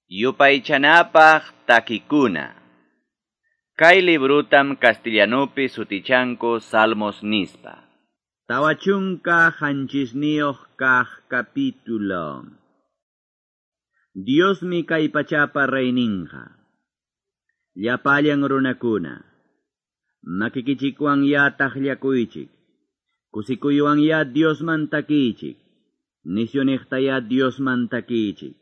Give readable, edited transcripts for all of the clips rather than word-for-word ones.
Yupaychanapaq takikuna. Kay librutam castellanupi sutichanku Salmos nispa. 47 kaq capítulo. Diosmi kay pachapa reyninqa. Llapallan runakuna. Makikichikwan ya taqllakuychik. Kusikuywan ya Diosman takiychik. Nisyuniqta ya Diosman takiychik.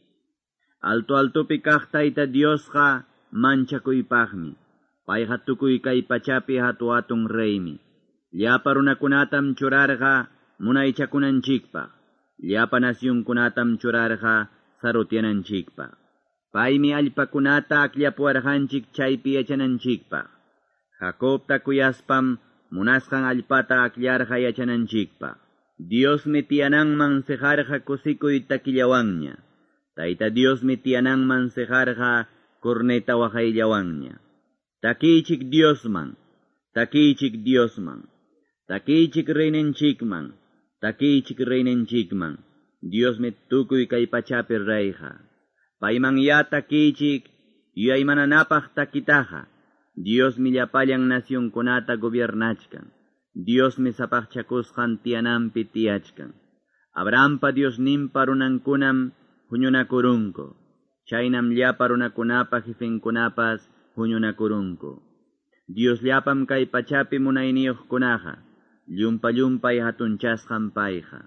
Alto altopi kaq Tayta Diosqa manchakuypaqmi. Payqa tukuy kay pachapi hatu hatun reymi. Llapa runakunatam churarqa munaychakunanchikpaq. Llapa nasyunkunatam churarqa sarutyananchikpaq. Paymi allpakunata akllapuwarqanchik chaypi yachananchikpaq. Jacobta kuyaspam munasqan allpata akllarqa yachananchikpaq. Diosmi tiyananman siqarqa kusikuy takillawanña. Tayta Diosmi tiyananman siqarqa corneta waqayllawanña. Takiychik Diosman, takiychik Diosman, takiychik reyninchikman, takiychik reyninchikman. Diosmi tukuy kay pachapi reyqa. Payman ya takiychik yuyaymananapaq takitaqa. Diosmi llapallan nacionkunata gobiernachkan. Diosmi sapaqchakusqan tiyananpi tiyachkan. Abrahampa Diosninpa runankunam huñunakurunku. Chaynam llapa runakunapa jefenkunapas huñunakurunku. Dios llapam kay pachapi munayniyuqkunaqa, llumpa llumpay hatunchasqan payqa.